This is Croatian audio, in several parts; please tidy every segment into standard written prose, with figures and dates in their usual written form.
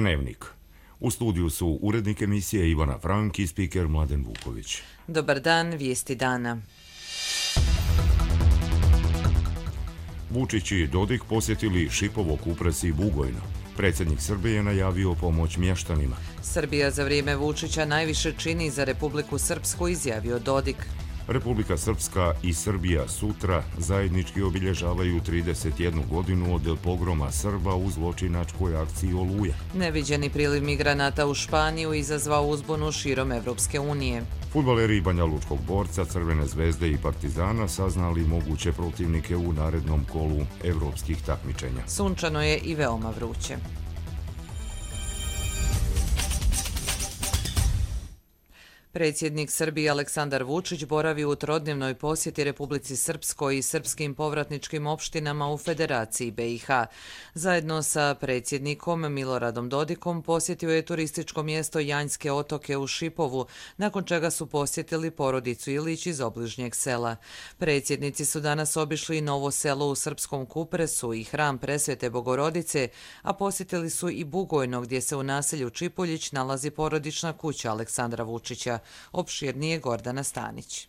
Dnevnik. U studiju su urednik emisije Ivana Frank i spiker Mladen Vuković. Dobar dan, vijesti dana. Vučić i Dodik posjetili Šipovo, Kupres i Bugojno. Predsjednik Srbije je najavio pomoć mještanima. Srbija za vrijeme Vučića najviše čini za Republiku Srpsku, izjavio Dodik. Republika Srpska i Srbija sutra zajednički obilježavaju 31 godinu od pogroma Srba u zločinačkoj akciji Oluja. Neviđeni priliv migranata u Španiju izazvao uzbunu širom Evropske unije. Fudbaleri Banja Lučkog borca, Crvene zvezde i Partizana saznali moguće protivnike u narednom kolu evropskih takmičenja. Sunčano je i veoma vruće. Predsjednik Srbije Aleksandar Vučić boravi u trodnevnoj posjeti Republici Srpskoj i srpskim povratničkim opštinama u Federaciji BiH. Zajedno sa predsjednikom Miloradom Dodikom posjetio je turističko mjesto Janjske otoke u Šipovu, nakon čega su posjetili porodicu Ilić iz obližnjeg sela. Predsjednici su danas obišli Novo selo u Srpskom Kupresu i hram Presvete Bogorodice, a posjetili su i Bugojno, gdje se u naselju Čipuljić nalazi porodična kuća Aleksandra Vučića. Opširnije Gordana Stanić.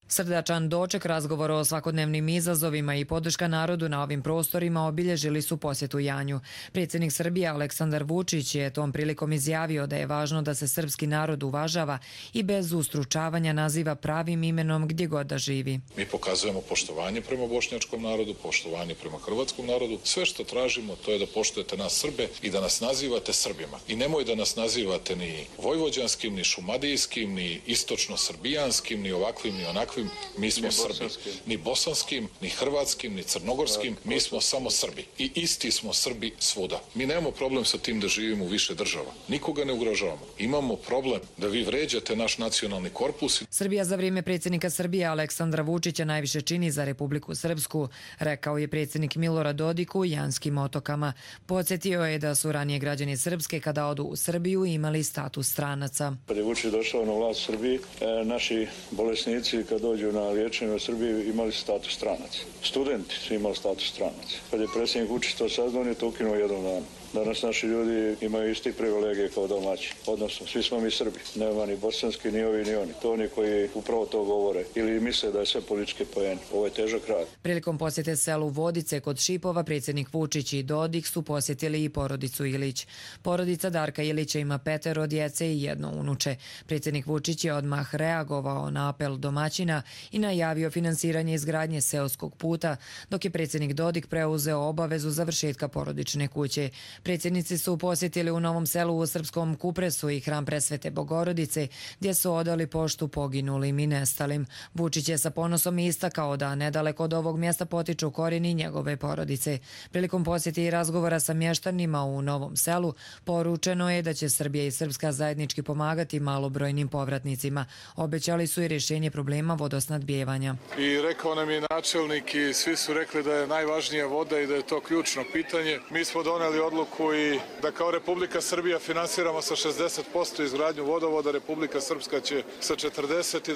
Srdačan doček, razgovor o svakodnevnim izazovima i podrška narodu na ovim prostorima obilježili su posjetu Janju. Predsjednik Srbije Aleksandar Vučić je tom prilikom izjavio da je važno da se srpski narod uvažava i bez ustručavanja naziva pravim imenom gdje god da živi. Mi pokazujemo poštovanje prema bošnjačkom narodu, poštovanje prema hrvatskom narodu. Sve što tražimo to je da poštujete nas Srbe i da nas nazivate Srbima. I nemoj da nas nazivate ni vojvođanskim, ni šumadijskim, ni istočno-srbijanskim, ni ovakvim, ni onakvim. Mi smo Srbi. Ni bosanskim, ni hrvatskim, ni crnogorskim. Mi smo samo Srbi. I isti smo Srbi svuda. Mi nemamo problem sa tim da živimo u više država. Nikoga ne ugrožavamo. Imamo problem da vi vređate naš nacionalni korpus. Srbija za vrijeme predsjednika Srbije Aleksandra Vučića najviše čini za Republiku Srpsku, rekao je predsjednik Milorad Dodik u Janskim otokama. Podsjetio je da su ranije građani Srpske kada odu u Srbiju imali status stranaca. Kad je Vučić došao na vlast Srbiji, naši bolesnici kad dođu na liječenje u Srbiji imali status stranaca. Studenti su imali status stranaca. Kad je predsjednik Vučić to saznao, on je to ukinuo jednom danu. Danas naši ljudi imaju isti privilegije kao domaći. Odnosno, svi smo mi Srbi. Nema ni bosanski, ni ovi, ni oni. To oni koji upravo to govore ili misle da je sve političke poeni. Ovo je težak rad. Prilikom posjete selu Vodice kod Šipova, predsjednik Vučić i Dodik su posjetili i porodicu Ilić. Porodica Darka Ilića ima 5 djece i 1 unuče. Predsjednik Vučić je odmah reagovao na apel domaćina i najavio finansiranje izgradnje seoskog puta, dok je predsjednik Dodik preuzeo obavezu završetka porodične kuće. Predsjednici su posjetili u Novom selu u Srpskom Kupresu i hram Presvete Bogorodice, gdje su odali poštu poginulim i nestalim. Vučić je sa ponosom istakao da nedaleko od ovog mjesta potiču korijeni njegove porodice. Prilikom posjeti i razgovora sa mještanima u Novom selu, poručeno je da će Srbija i Srpska zajednički pomagati malobrojnim povratnicima. Obećali su i rješenje problema vodosnadbijevanja. I rekao nam je načelnik i svi su rekli da je najvažnija voda i da je to ključno pitanje. Mi smo doneli odluku i da kao Republika Srbija finansiramo sa 60% izgradnju vodovoda, Republika Srpska će sa 40% i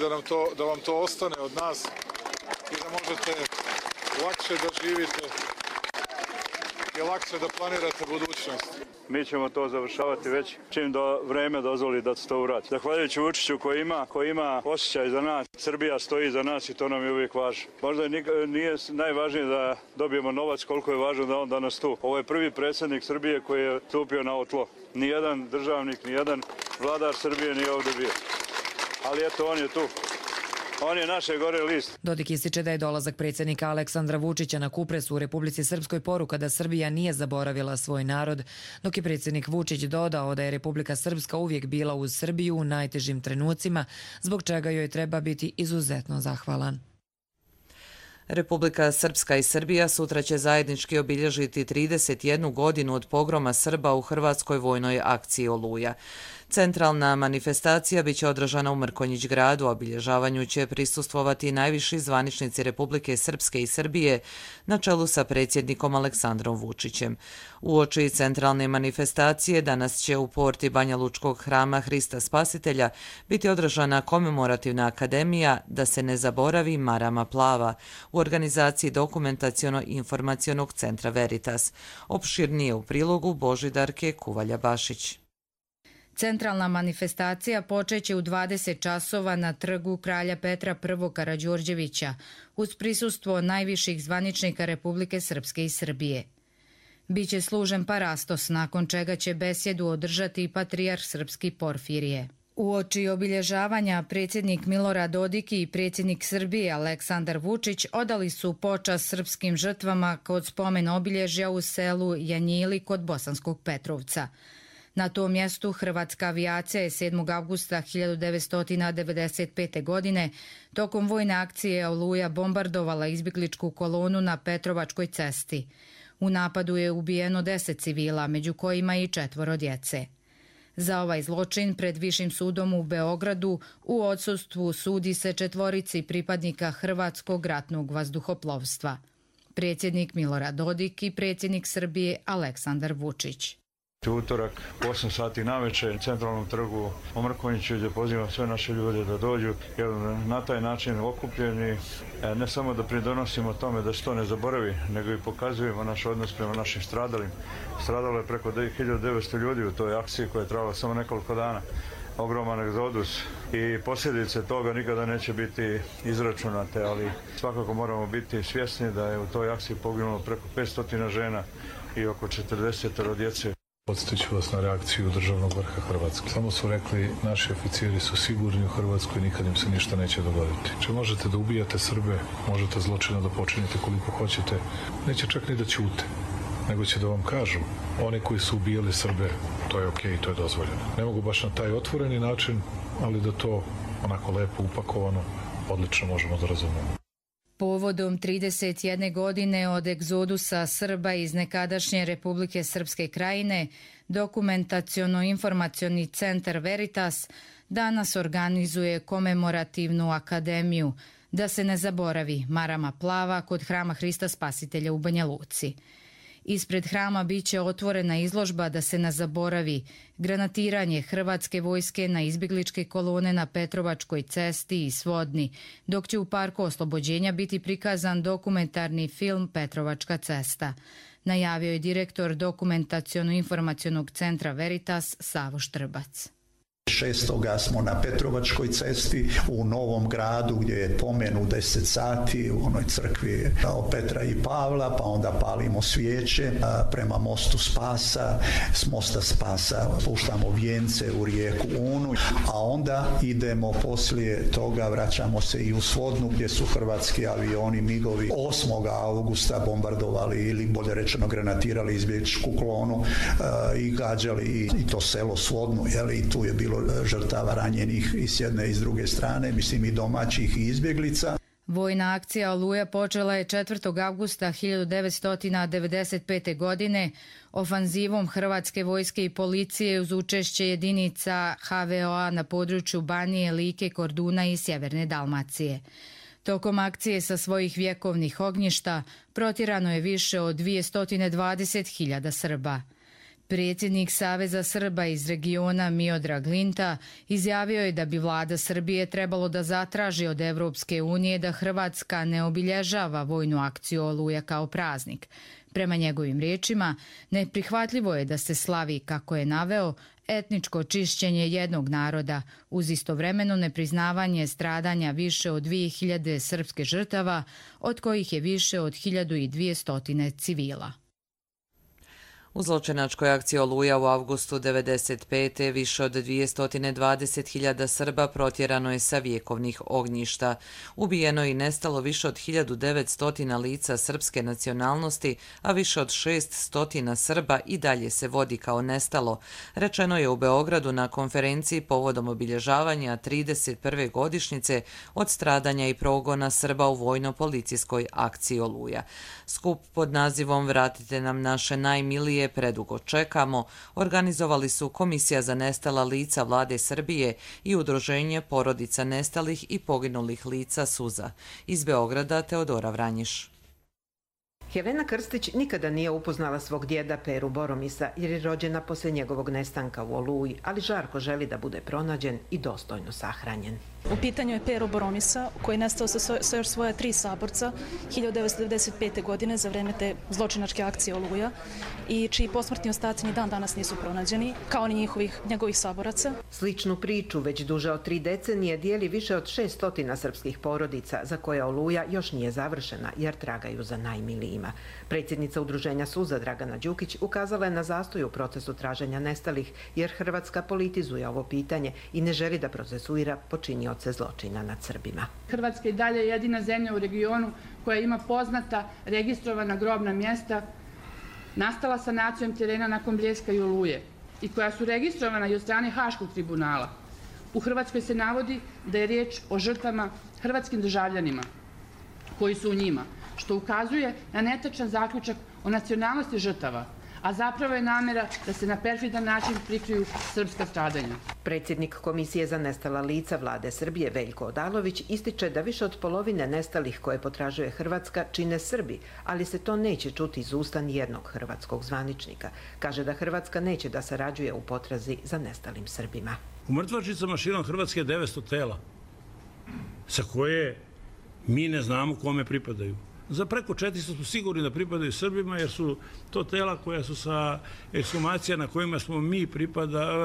da vam to ostane od nas i da možete lakše da živite i lakše da planirate budućnost. Mi ćemo to završavati već čim vreme dozvoli da se to uradi. Zahvaljujući Vučiću koji ima osjećaj za nas, Srbija stoji za nas i to nam je uvijek važno. Možda nije najvažnije da dobijemo novac koliko je važno da on danas tu. Ovo je prvi predsjednik Srbije koji je stupio na ovo tlo. Nijedan državnik, nijedan vladar Srbije nije ovdje bio. Ali eto, on je tu. On je naše gore list. Dodik ističe da je dolazak predsjednika Aleksandra Vučića na Kupresu u Republici Srpskoj poruka da Srbija nije zaboravila svoj narod, dok je predsjednik Vučić dodao da je Republika Srpska uvijek bila uz Srbiju u najtežim trenucima, zbog čega joj treba biti izuzetno zahvalan. Republika Srpska i Srbija sutra će zajednički obilježiti 31 godinu od pogroma Srba u hrvatskoj vojnoj akciji Oluja. Centralna manifestacija biće održana u Mrkonjić gradu, a obilježavanju će prisustvovati najviši zvaničnici Republike Srpske i Srbije na čelu sa predsjednikom Aleksandrom Vučićem. Uoči centralne manifestacije danas će u porti Banja Lučkog hrama Hrista Spasitelja biti održana komemorativna akademija Da se ne zaboravi marama plava u organizaciji Dokumentaciono-informacionog centra Veritas. Opširnije u prilogu Božidarke Kuvalja-Bašić. Centralna manifestacija počeće u 20 časova na trgu Kralja Petra I. Karađorđevića uz prisustvo najviših zvaničnika Republike Srpske i Srbije. Biće služen parastos, nakon čega će besjedu održati i patrijarh srpski Porfirije. Uoči obilježavanja predsjednik Milorad Dodik i predsjednik Srbije Aleksandar Vučić odali su počast srpskim žrtvama kod spomen obilježja u selu Janjili kod Bosanskog Petrovca. Na tom mjestu hrvatska avijacija je 7. avgusta 1995. godine tokom vojne akcije Oluja bombardovala izbjegličku kolonu na Petrovačkoj cesti. U napadu je ubijeno 10 civila, među kojima i 4 djece. Za ovaj zločin pred Višim sudom u Beogradu u odsustvu sudi se 4 pripadnika Hrvatskog ratnog vazduhoplovstva. Predsjednik Milorad Dodik i predsjednik Srbije Aleksandar Vučić. U utorak, 8 sati navečer, na centralnom trgu u Mrkonjiću, gdje pozivam sve naše ljude da dođu, jer na taj način okupljeni ne samo da pridonosimo tome da se to ne zaboravi, nego i pokazujemo naš odnos prema našim stradalim. Stradalo je preko 1900 ljudi u toj akciji koja je trajala samo nekoliko dana. Ogroman egzodus i posljedice toga nikada neće biti izračunate, ali svakako moramo biti svjesni da je u toj akciji poginulo preko 500 žena i oko 40 djece. Podsjetit ću vas na reakciju državnog vrha Hrvatske. Samo su rekli, naši oficiri su sigurni u Hrvatskoj, nikad im se ništa neće dogoditi. Če možete da ubijate Srbe, možete zločina da počinite koliko hoćete, neće čak ni da ćute, nego će da vam kažu, oni koji su ubijali Srbe, to je okej, to je dozvoljeno. Ne mogu baš na taj otvoreni način, ali da to onako lepo upakovano, odlično možemo da razumemo. Povodom 31 godine od egzodusa Srba iz nekadašnje Republike Srpske krajine, Dokumentaciono-informacioni centar Veritas danas organizuje komemorativnu akademiju Da se ne zaboravi marama plava kod hrama Hrista Spasitelja u Banja Luci. Ispred hrama biće otvorena izložba Da se ne zaboravi granatiranje hrvatske vojske na izbjegličke kolone na Petrovačkoj cesti i Svodni, dok će u Parku Oslobođenja biti prikazan dokumentarni film Petrovačka cesta. Najavio je direktor Dokumentaciono-informacionog centra Veritas Savo Štrbac. 6. smo na Petrovačkoj cesti u Novom gradu gdje je pomen u 10 sati u onoj crkvi Petra i Pavla, pa onda palimo svijeće prema mostu Spasa, s mosta Spasa puštamo vijence u rijeku Unu, a onda idemo poslije toga, vraćamo se i u Svodnu gdje su hrvatski avioni MIG-ovi 8. augusta bombardovali ili bolje rečeno granatirali izbjegličku kolonu i gađali i to selo Svodnu, i tu je bilo žrtava ranjenih i s jedne i s druge strane, mislim i domaćih i izbjeglica. Vojna akcija Oluja počela je 4. avgusta 1995. godine ofanzivom hrvatske vojske i policije uz učešće jedinica HVO-a na području Banije, Like, Korduna i Sjeverne Dalmacije. Tokom akcije sa svojih vjekovnih ognjišta protjerano je više od 220.000 Srba. Predsjednik Saveza Srba iz regiona Miodrag Linta izjavio je da bi vlada Srbije trebalo da zatraži od Evropske unije da Hrvatska ne obilježava vojnu akciju Oluja kao praznik. Prema njegovim riječima, neprihvatljivo je da se slavi, kako je naveo, etničko čišćenje jednog naroda uz istovremeno nepriznavanje stradanja više od 2000 srpske žrtava, od kojih je više od 1200 civila. U zločinačkoj akciji Oluja u avgustu 1995. više od 220.000 Srba protjerano je sa vjekovnih ognjišta. Ubijeno i nestalo više od 1900 lica srpske nacionalnosti, a više od 600 Srba i dalje se vodi kao nestalo, rečeno je u Beogradu na konferenciji povodom obilježavanja 31. godišnjice od stradanja i progona Srba u vojno-policijskoj akciji Oluja. Skup pod nazivom Vratite nam naše najmilije familije Predugo čekamo organizovali su Komisija za nestala lica Vlade Srbije i Udruženje porodica nestalih i poginulih lica Suza. Iz Beograda Teodora Vranjiš. Helena Krstić nikada nije upoznala svog djeda Peru Boromisa jer je rođena poslije njegovog nestanka u Oluji, ali žarko želi da bude pronađen i dostojno sahranjen. U pitanju je Pero Boromisa, koji je nestao sa još svoja 3 saborca 1995. godine za vreme te zločinačke akcije Oluja i čiji posmrtni ostaci ni dan danas nisu pronađeni, kao ni njegovih saboraca. Sličnu priču već duže od 3 decenije dijeli više od 600 srpskih porodica za koje Oluja još nije završena jer tragaju za najmilijima. Predsjednica Udruženja Suza Dragana Đukić ukazala je na zastoj u procesu traženja nestalih jer Hrvatska politizuje ovo pitanje i ne želi da procesuira počinioce zločina nad Srbima. Hrvatska je dalje jedina zemlja u regionu koja ima poznata registrovana grobna mjesta nastala sanacijom terena nakon Bljeska i Oluje i koja su registrovana i od strane Haškog tribunala. U Hrvatskoj se navodi da je riječ o žrtvama hrvatskim državljanima koji su u njima, što ukazuje na netačan zaključak o nacionalnosti žrtava, a zapravo je namjera da se na perfidan način prikriju srpska stradanja. Predsjednik Komisije za nestala lica Vlade Srbije Veljko Odalović ističe da više od polovine nestalih koje potražuje Hrvatska čine Srbi, ali se to neće čuti iz usta nijednog hrvatskog zvaničnika. Kaže da Hrvatska neće da sarađuje u potrazi za nestalim Srbima. U mrtvačnicama širom Hrvatske je 900 tela, sa koje mi ne znamo kome pripadaju. Za preko 400 su sigurni da pripadaju Srbima jer su to tela koja su sa ekshumacija na kojima smo mi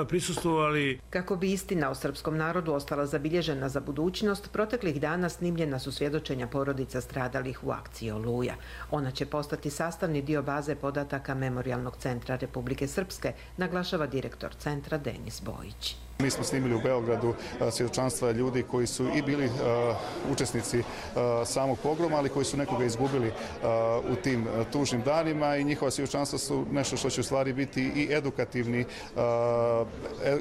prisustvovali. Kako bi istina o srpskom narodu ostala zabilježena za budućnost, proteklih dana snimljena su svjedočenja porodica stradalih u akciji Oluja. Ona će postati sastavni dio baze podataka Memorijalnog centra Republike Srpske, naglašava direktor centra Denis Bojić. Mi smo snimili u Beogradu svjedočanstva ljudi koji su i bili učesnici samog pogroma, ali koji su nekoga izgubili u tim tužnim danima i njihova svjedočanstva su nešto što će u stvari biti i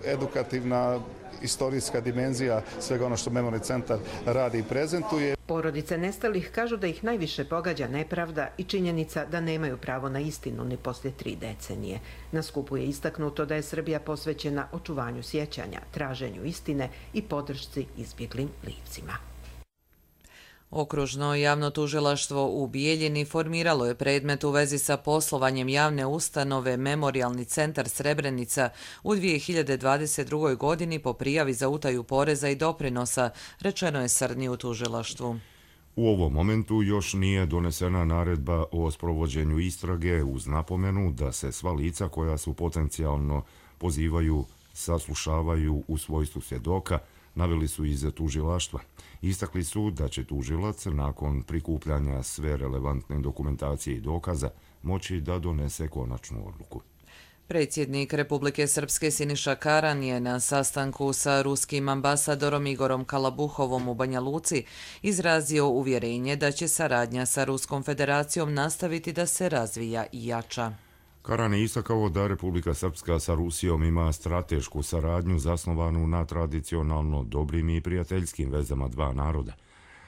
edukativna istorijska dimenzija svega ono što Memorijalni centar radi i prezentuje. Porodice nestalih kažu da ih najviše pogađa nepravda i činjenica da nemaju pravo na istinu ni poslije 3 decenije. Na skupu je istaknuto da je Srbija posvećena očuvanju sjećanja, traženju istine i podršci izbjeglim licima. Okružno javno tužilaštvo u Bijeljini formiralo je predmet u vezi sa poslovanjem javne ustanove Memorijalni centar Srebrenica u 2022. godini po prijavi za utaju poreza i doprinosa, rečeno je Srni u tužilaštvu. U ovom momentu još nije donesena naredba o sprovođenju istrage uz napomenu da se sva lica koja su potencijalno pozivaju, saslušavaju u svojstvu svjedoka, naveli su iz tužilaštva. Istakli su da će tužilac nakon prikupljanja sve relevantne dokumentacije i dokaza moći da donese konačnu odluku. Predsjednik Republike Srpske Siniša Karan je na sastanku sa ruskim ambasadorom Igorom Kalabuhovom u Banja Luci izrazio uvjerenje da će saradnja sa Ruskom federacijom nastaviti da se razvija i jača. Karan je istakao da Republika Srpska sa Rusijom ima stratešku saradnju zasnovanu na tradicionalno dobrim i prijateljskim vezama dva naroda.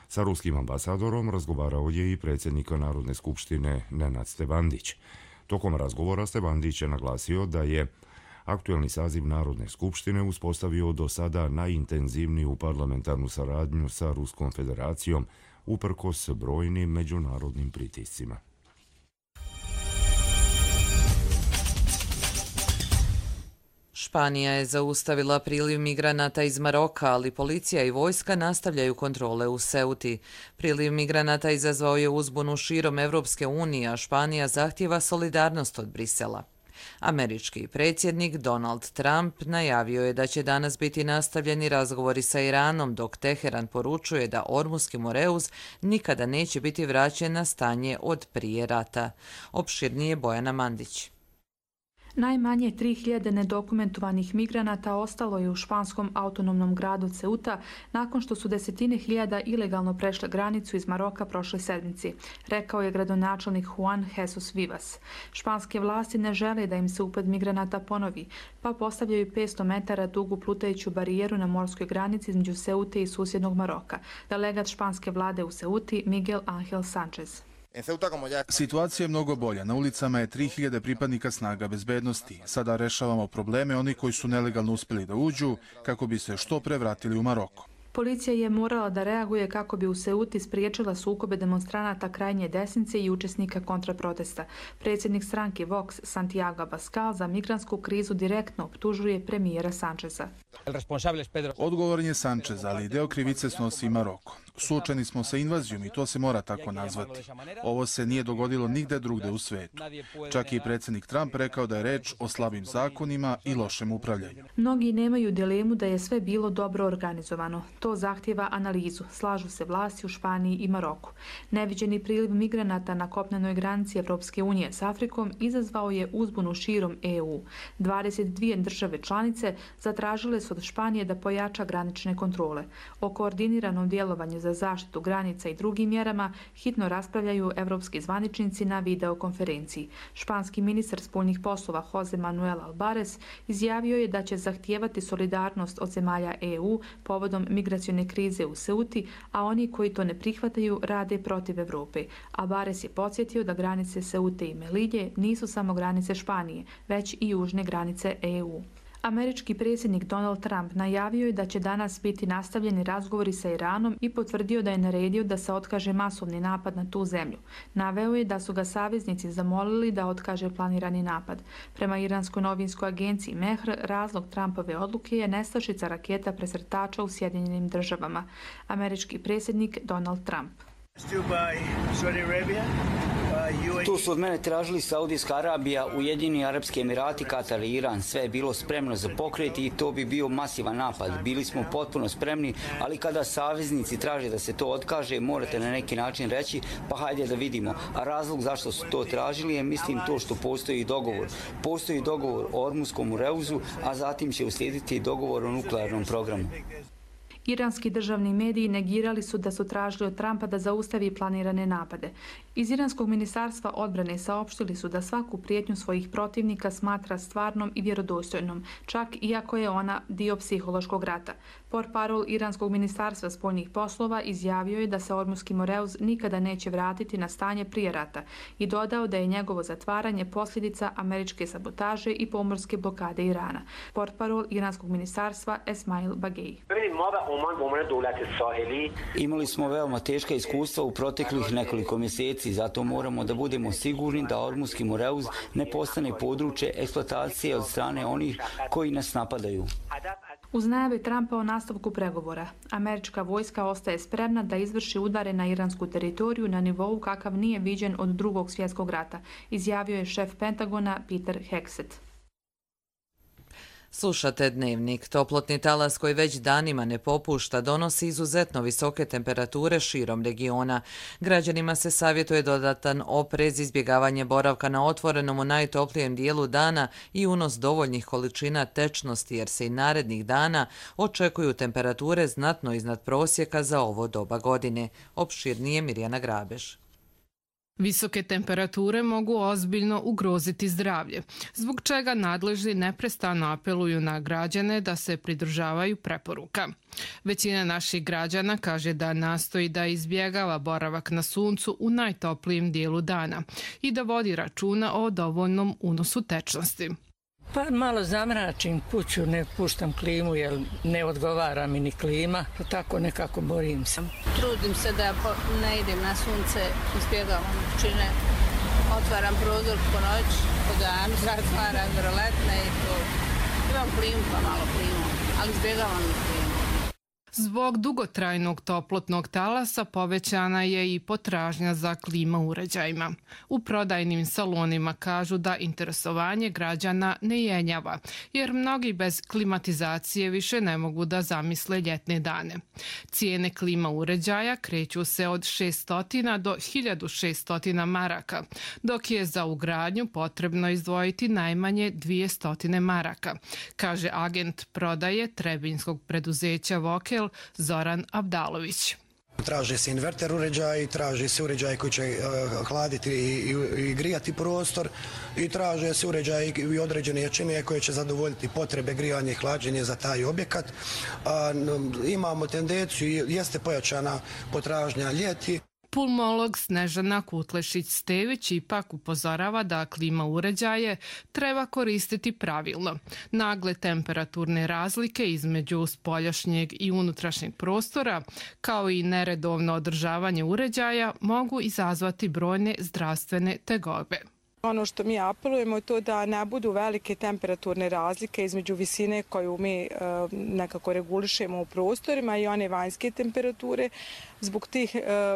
Sa ruskim ambasadorom razgovarao je i predsjednik Narodne skupštine Nenad Stevandić. Tokom razgovora Stevandić je naglasio da je aktuelni saziv Narodne skupštine uspostavio do sada najintenzivniju parlamentarnu saradnju sa Ruskom federacijom uprkos brojnim međunarodnim pritiscima. Španija je zaustavila priliv migranata iz Maroka, ali policija i vojska nastavljaju kontrole u Ceuti. Priliv migranata izazvao je uzbunu širom Evropske unije, a Španija zahtijeva solidarnost od Brisela. Američki predsjednik Donald Trump najavio je da će danas biti nastavljeni razgovori sa Iranom, dok Teheran poručuje da Ormuski Moreuz nikada neće biti vraćen na stanje od prije rata. Opširnije Bojana Mandić. Najmanje 3000 nedokumentovanih migranata ostalo je u španskom autonomnom gradu Ceuta nakon što su desetine hiljada ilegalno prešle granicu iz Maroka prošle sedmici, rekao je gradonačelnik Juan Jesus Vivas. Španske vlasti ne žele da im se upad migranata ponovi, pa postavljaju 500 metara dugu plutajuću barijeru na morskoj granici između Ceute i susjednog Maroka, delegat španske vlade u Ceuti Miguel Ángel Sánchez. Situacija je mnogo bolja. Na ulicama je 3000 pripadnika snaga bezbednosti. Sada rešavamo probleme onih koji su nelegalno uspjeli da uđu kako bi se što pre vratili u Maroko. Policija je morala da reaguje kako bi u Ceuti spriječila sukobe demonstranata krajnje desnice i učesnika kontraprotesta. Predsjednik stranke Vox Santiago Abascal za migrantsku krizu direktno optužuje premijera Sancheza. Odgovoran je Sanchez, ali deo krivice snosi i Maroko. Suočeni smo sa invazijom i to se mora tako nazvati. Ovo se nije dogodilo nigde drugde u svetu. Čak i predsjednik Trump rekao da je reč o slabim zakonima i lošem upravljanju. Mnogi nemaju dilemu da je sve bilo dobro organizovano. To zahtjeva analizu. Slažu se vlasti u Španiji i Maroku. Neviđeni priliv migranata na kopnenoj granici Evropske unije s Afrikom izazvao je uzbunu širom EU. 22 države članice zatražile su od Španije da pojača granične kontrole. O koordiniranom djelovanju za zaštitu granica i drugim mjerama hitno raspravljaju evropski zvaničnici na videokonferenciji. Španski ministar spoljnih poslova Jose Manuel Albares izjavio je da će zahtijevati solidarnost od zemalja EU povodom migracione krize u Ceuti, a oni koji to ne prihvataju rade protiv Europe. Albares je podsjetio da granice Ceute i Melilje nisu samo granice Španije, već i južne granice EU. Američki predsjednik Donald Trump najavio je da će danas biti nastavljeni razgovori sa Iranom i potvrdio da je naredio da se otkaže masovni napad na tu zemlju. Naveo je da su ga saveznici zamolili da otkaže planirani napad. Prema iranskoj novinskoj agenciji Mehr, razlog Trumpove odluke je nestašica raketa presretača u Sjedinjenim državama. Američki predsjednik Donald Trump. Tu su od mene tražili Saudijska Arabija, Ujedinjeni Arapski Emirati, Katar i Iran. Sve je bilo spremno za pokret i to bi bio masivan napad. Bili smo potpuno spremni, ali kada saveznici traže da se to otkaže, morate na neki način reći, pa hajde da vidimo. A razlog zašto su to tražili je, mislim, to što postoji dogovor. Postoji dogovor o Ormuskom reuzu, a zatim će uslijediti dogovor o nuklearnom programu. Iranski državni mediji negirali su da su tražili od Trumpa da zaustavi planirane napade. Iz Iranskog ministarstva odbrane saopštili su da svaku prijetnju svojih protivnika smatra stvarnom i vjerodostojnom, čak iako je ona dio psihološkog rata. Portparol Iranskog ministarstva spoljnih poslova izjavio je da se Ormuski moreuz nikada neće vratiti na stanje prije rata i dodao da je njegovo zatvaranje posljedica američke sabotaže i pomorske blokade Irana. Portparol Iranskog ministarstva Esmail Bagei. Imali smo veoma teška iskustva u proteklih nekoliko mjeseci, zato moramo da budemo sigurni da Ormuski moreuz ne postane područje eksploatacije od strane onih koji nas napadaju. Uz najave Trumpa o nastavku pregovora, američka vojska ostaje spremna da izvrši udare na iransku teritoriju na nivou kakav nije viđen od Drugog svjetskog rata, izjavio je šef Pentagona Peter Hegseth. Slušate Dnevnik. Toplotni talas koji već danima ne popušta donosi izuzetno visoke temperature širom regiona. Građanima se savjetuje dodatan oprez, izbjegavanje boravka na otvorenom u najtoplijem dijelu dana i unos dovoljnih količina tečnosti jer se i narednih dana očekuju temperature znatno iznad prosjeka za ovo doba godine. Opširnije Mirjana Grabež. Visoke temperature mogu ozbiljno ugroziti zdravlje, zbog čega nadležni neprestano apeluju na građane da se pridržavaju preporuka. Većina naših građana kaže da nastoji da izbjegava boravak na suncu u najtoplijem dijelu dana i da vodi računa o dovoljnom unosu tečnosti. Pa malo zamračim kuću, ne puštam klimu jer ne odgovara mi ni klima, tako nekako borim se. Trudim se da ne idem na sunce, izbjegavam vrućine, otvaram prozor po noć, po danu, zatvaram roletne i to. Imam klimu pa malo klimu, ali izbjegavam i klimu. Zbog dugotrajnog toplotnog talasa povećana je i potražnja za klima uređajima. U prodajnim salonima kažu da interesovanje građana ne jenjava, jer mnogi bez klimatizacije više ne mogu da zamisle ljetne dane. Cijene klima uređaja kreću se od 600 do 1600 maraka, dok je za ugradnju potrebno izdvojiti najmanje 200 maraka, kaže agent prodaje trebinskog preduzeća Vokel Zoran Abdalović. Traže se inverter uređaj, traže se uređaj koji će hladiti i grijati prostor i traže se uređaj i određene jačine koje će zadovoljiti potrebe grijanja i hlađenja za taj objekat. Imamo tendenciju, jeste pojačana potražnja ljeti. Pulmolog Snežana Kutlešić-Stević ipak upozorava da klima uređaje treba koristiti pravilno. Nagle temperaturne razlike između spoljašnjeg i unutrašnjeg prostora, kao i neredovno održavanje uređaja, mogu izazvati brojne zdravstvene tegobe. Ono što mi apelujemo je to da ne budu velike temperaturne razlike između visine koju mi nekako regulišemo u prostorima i one vanjske temperature. Zbog tih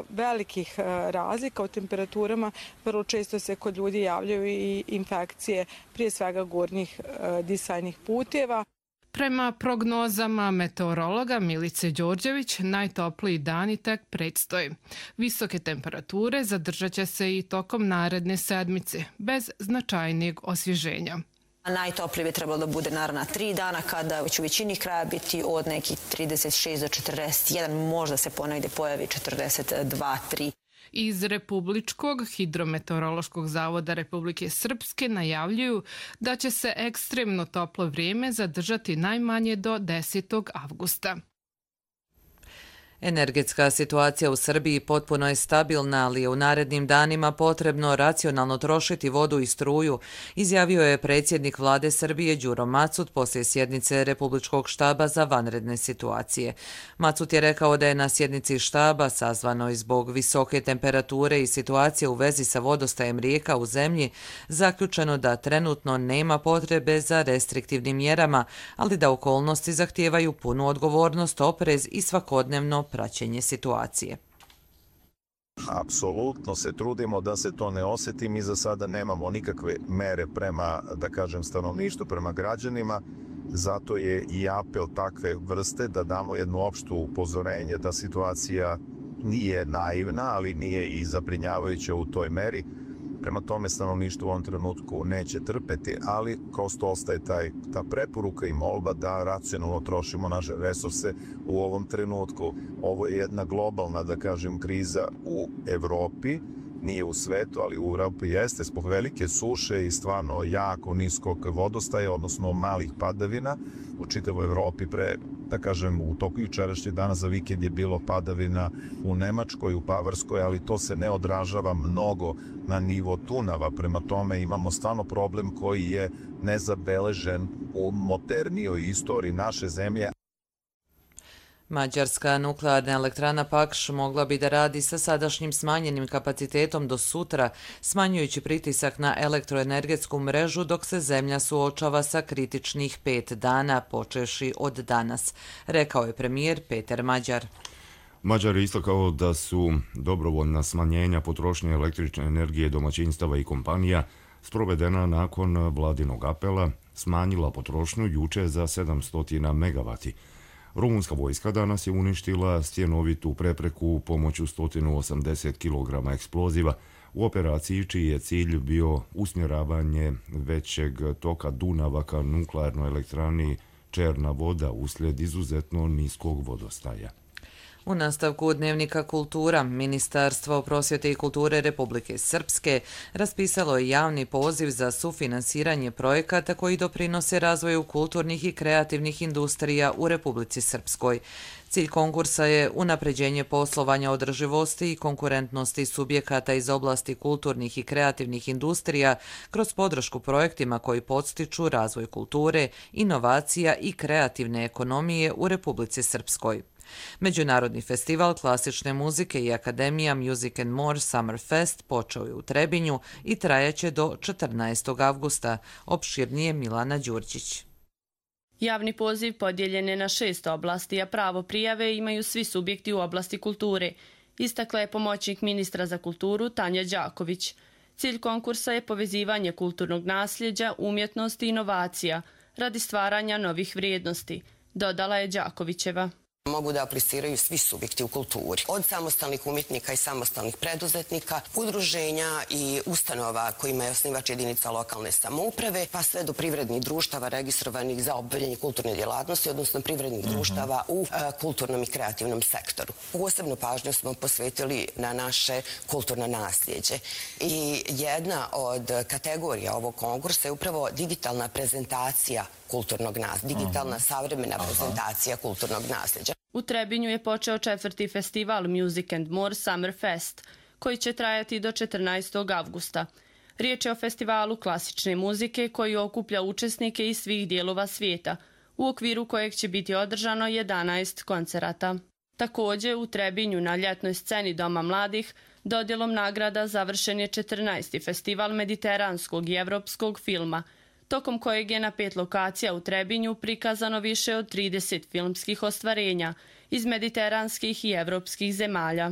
velikih razlika u temperaturama vrlo često se kod ljudi javljaju i infekcije, prije svega gornjih disajnih puteva. Prema prognozama meteorologa Milice Đorđević, najtopliji dani tek predstoje. Visoke temperature zadržat će se i tokom naredne sedmice, bez značajnijeg osvježenja. Najtoplije bi trebalo da bude naravno 3 dana, kada će u većini kraja biti od nekih 36 do 41, možda se ponegdje pojavi 42-3. Iz Republičkog hidrometeorološkog zavoda Republike Srpske najavljuju da će se ekstremno toplo vrijeme zadržati najmanje do 10. avgusta. Energetska situacija u Srbiji potpuno je stabilna, ali je u narednim danima potrebno racionalno trošiti vodu i struju, izjavio je predsjednik vlade Srbije Đuro Macut poslije sjednice Republičkog štaba za vanredne situacije. Macut je rekao da je na sjednici štaba, sazvanoj zbog visoke temperature i situacije u vezi sa vodostajem rijeka u zemlji, zaključeno da trenutno nema potrebe za restriktivnim mjerama, ali da okolnosti zahtijevaju punu odgovornost, oprez i svakodnevno praćenje situacije. Apsolutno se trudimo da se to ne osjeti. Mi za sada nemamo nikakve mere prema, da kažem, stanovništvu, prema građanima. Zato je i apel takve vrste da damo jedno opšto upozorenje da situacija nije naivna, ali nije i zabrinjavajuća u toj meri. Prema tome stanovništvo u ovom trenutku neće trpeti, ali prosto ostaje ta preporuka i molba da racionalno trošimo naše resurse u ovom trenutku. Ovo je jedna globalna, da kažem, kriza u Evropi, nije u svetu, ali u Evropi jeste zbog velike suše i stvarno jako niskog vodostaja, odnosno malih padavina. U čitavoj Evropi da kažem, u toku jučerašnjeg dana za vikend je bilo padavina u Nemačkoj, u Bavarskoj, ali to se ne odražava mnogo na nivo Dunava. Prema tome imamo stvarno problem koji je nezabeležen u modernijoj istoriji naše zemlje. Mađarska nuklearna elektrana Pakš mogla bi da radi sa sadašnjim smanjenim kapacitetom do sutra, smanjujući pritisak na elektroenergetsku mrežu dok se zemlja suočava sa kritičnih 5 dana, počevši od danas, rekao je premijer Peter Mađar. Mađar je istakao da su dobrovoljna smanjenja potrošnje električne energije domaćinstava i kompanija sprovedena nakon vladinog apela, smanjila potrošnju juče za 700 megavati. Rumunska vojska danas je uništila stjenovitu prepreku pomoću 180 kg eksploziva u operaciji čiji je cilj bio usmjeravanje većeg toka Dunava ka nuklearnoj elektrani Černa voda uslijed izuzetno niskog vodostaja. U nastavku Dnevnika kultura, Ministarstvo prosvjete i kulture Republike Srpske raspisalo je javni poziv za sufinansiranje projekata koji doprinose razvoju kulturnih i kreativnih industrija u Republici Srpskoj. Cilj konkursa je unapređenje poslovanja održivosti i konkurentnosti subjekata iz oblasti kulturnih i kreativnih industrija kroz podršku projektima koji podstiču razvoj kulture, inovacija i kreativne ekonomije u Republici Srpskoj. Međunarodni festival klasične muzike i Akademija Music and More Summer Fest počeo je u Trebinju i trajaće do 14. avgusta, opširnije Milana Đurđić. Javni poziv podijeljen je na 6 oblasti, a pravo prijave imaju svi subjekti u oblasti kulture, istakla je pomoćnik ministra za kulturu Tanja Đaković. Cilj konkursa je povezivanje kulturnog nasljeđa, umjetnosti i inovacija radi stvaranja novih vrijednosti, dodala je Đakovićeva. Mogu da apliciraju svi subjekti u kulturi. Od samostalnih umjetnika i samostalnih preduzetnika, udruženja i ustanova kojima je osnivač jedinica lokalne samouprave, pa sve do privrednih društava registrovanih za obavljanje kulturne djelatnosti, odnosno privrednih društava u kulturnom i kreativnom sektoru. Posebnu pažnju smo posvetili na naše kulturno nasljeđe. I jedna od kategorija ovog konkursa je upravo digitalna prezentacija kulturnog nasljeđa, digitalna savremena prezentacija kulturnog nasljeđa. U Trebinju je počeo 4. festival Music and More Summer Fest, koji će trajati do 14. avgusta. Riječ je o festivalu klasične muzike koji okuplja učesnike iz svih dijelova svijeta, u okviru kojeg će biti održano 11 koncerata. Također, u Trebinju na ljetnoj sceni Doma mladih dodjelom nagrada završen je 14. festival mediteranskog i evropskog filma, tokom kojeg je na 5 lokacija u Trebinju prikazano više od 30 filmskih ostvarenja iz mediteranskih i evropskih zemalja.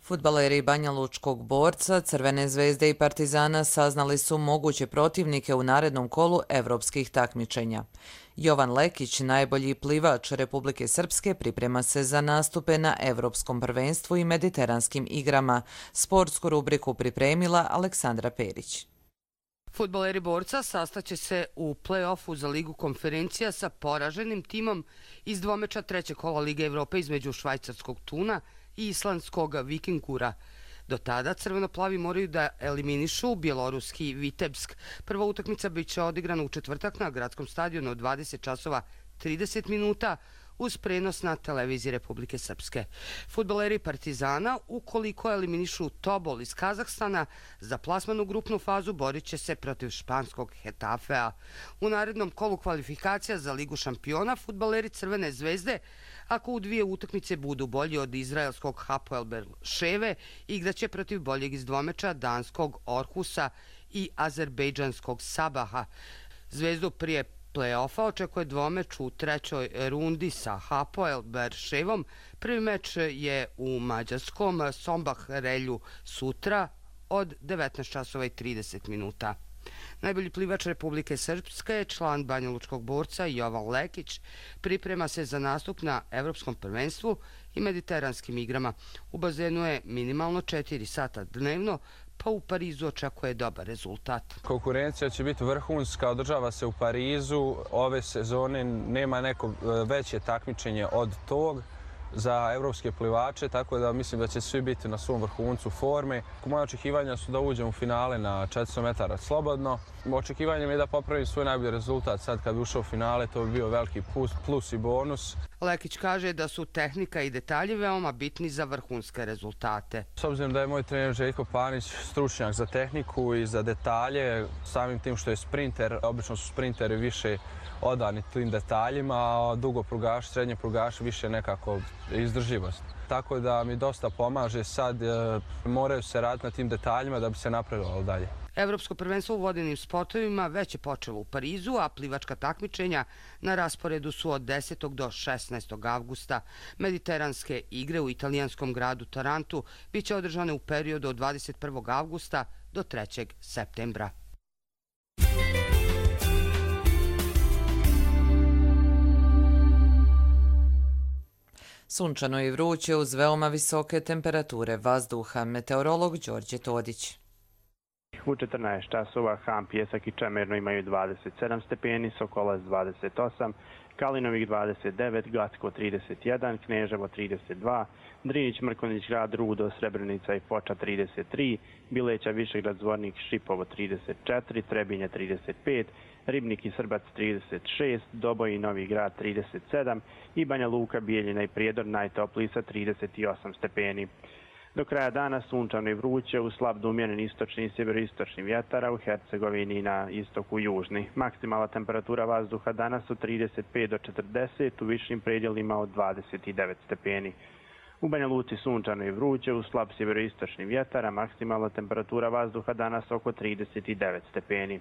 Fudbaleri Banja Lučkog Borca, Crvene zvezde i Partizana saznali su moguće protivnike u narednom kolu evropskih takmičenja. Jovan Lekić, najbolji plivač Republike Srpske, priprema se za nastupe na Evropskom prvenstvu i mediteranskim igrama. Sportsku rubriku pripremila Aleksandra Perić. Fudbaleri Borca sastaće se u play-offu za Ligu konferencija sa poraženim timom iz dvomeča trećeg kola Lige Evrope između švajcarskog Tuna i islandskog Vikingura. Do tada crveno-plavi moraju da eliminišu bjeloruski Vitebsk. Prva utakmica biće odigrana u četvrtak na gradskom stadionu od 20 časova 30 minuta uz prenos na televiziji Republike Srpske. Fudbaleri Partizana, ukoliko eliminišu Tobol iz Kazahstana, za plasman u grupnu fazu borit će se protiv španskog Hetafea. U narednom kolu kvalifikacija za Ligu šampiona fudbaleri Crvene zvezde, ako u 2 utakmice budu bolji od izraelskog Hapoel Beerševe, igraće protiv boljeg iz dvomeča danskog Orhusa i azerbejdžanskog Sabaha. Zvezdu prije play-offa očekuje dvomeč u trećoj rundi sa Hapoel Beerševom. Prvi meč je u mađarskom Sombah-Relju sutra od 19 časova i 30 minuta. Najbolji plivač Republike Srpske, član Banja Lučkog Borca Jovan Lekić, priprema se za nastup na Evropskom prvenstvu i mediteranskim igrama. U bazenu je minimalno 4 sata dnevno, pa u Parizu očekuje dobar rezultat. Konkurencija će biti vrhunska, održava se u Parizu. Ove sezone nema neko veće takmičenje od tog za evropske plivače, tako da mislim da će svi biti na svom vrhuncu forme. Moje očekivanja su da uđem u finale na 400 metara slobodno. Očekivanje mi je da popravim svoj najbolji rezultat. Sad kad bi ušao u finale, to bi bio veliki plus i bonus. Lekić kaže da su tehnika i detalji veoma bitni za vrhunske rezultate. S obzirom da je moj trener Željko Panić stručnjak za tehniku i za detalje, samim tim što je sprinter, obično su sprinteri više odani tim detaljima, a dugoprugaši, srednjeprugaši više nekako izdrživost. Tako da mi dosta pomaže sad, moraju se raditi na tim detaljima da bi se napredovalo dalje. Evropsko prvenstvo u vodenim sportovima već je počelo u Parizu, a plivačka takmičenja na rasporedu su od 10. do 16. avgusta. Mediteranske igre u italijanskom gradu Tarantu biće održane u periodu od 21. avgusta do 3. septembra. Sunčano i vruće uz veoma visoke temperature vazduha. Meteorolog Đorđe Todić. U 14 časova Ham, Pjesak i Čemerno imaju 27 stepeni, Sokolac 28, Kalinovik 29, Gacko 31, Kneževo 32, Drinić, Mrkonjić, Grad, Rudo, Srebrenica i Foča 33, Bileća, Višegrad, Zvornik, Šipovo 34, Trebinje 35, Ribnik i Srbac 36, Doboj i Novi Grad 37 i Banja Luka, Bijeljina i Prijedor najtopliji sa 38 stepeni. Do kraja dana sunčano i vruće, uz slab do umjeren istočni i sjeveroistočni vjetar, a u Hercegovini na istoku južni. Maksimalna temperatura vazduha danas od 35 do 40, u višim predjelima od 29 stepeni. U Banja Luci sunčano i vruće, uz slab sjeveroistočni vjetar, a maksimalna temperatura vazduha danas oko 39 stepeni.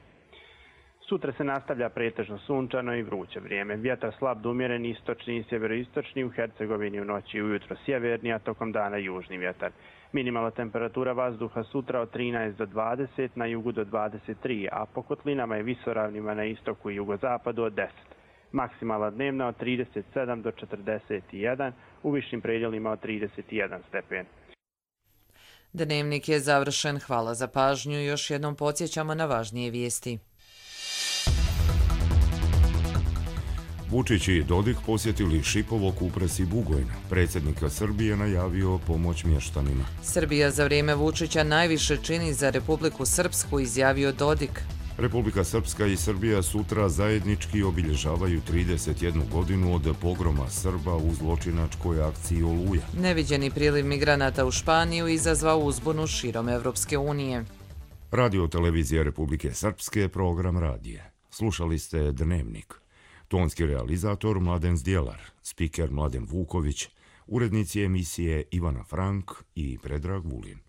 Sutra se nastavlja pretežno sunčano i vruće vrijeme. Vjetar slab do umjeren istočni i sjeveroistočni, u Hercegovini u noći i ujutro sjeverni, a tokom dana južni vjetar. Minimalna temperatura vazduha sutra od 13 do 20, na jugu do 23, a po kotlinama i visoravnima na istoku i jugozapadu od 10. Maksimalna dnevna od 37 do 41, u višim predjelima od 31 stepen. Dnevnik je završen. Hvala za pažnju. Još jednom podsjećamo na važnije vijesti. Vučić i Dodik posjetili Šipovo, Kupres i Bugojna. Predsjednik Srbije najavio pomoć mještanima. Srbija za vrijeme Vučića najviše čini za Republiku Srpsku, izjavio Dodik. Republika Srpska i Srbija sutra zajednički obilježavaju 31 godinu od pogroma Srba u zločinačkoj akciji Oluja. Neviđeni priliv migranata u Španiju izazvao uzbunu širom Evropske unije. Radio televizija Republike Srpske, program radije. Slušali ste Dnevnik. Tonski realizator Mladen Zdjelar, spiker Mladen Vuković, urednici emisije Ivana Frank i Predrag Vulin.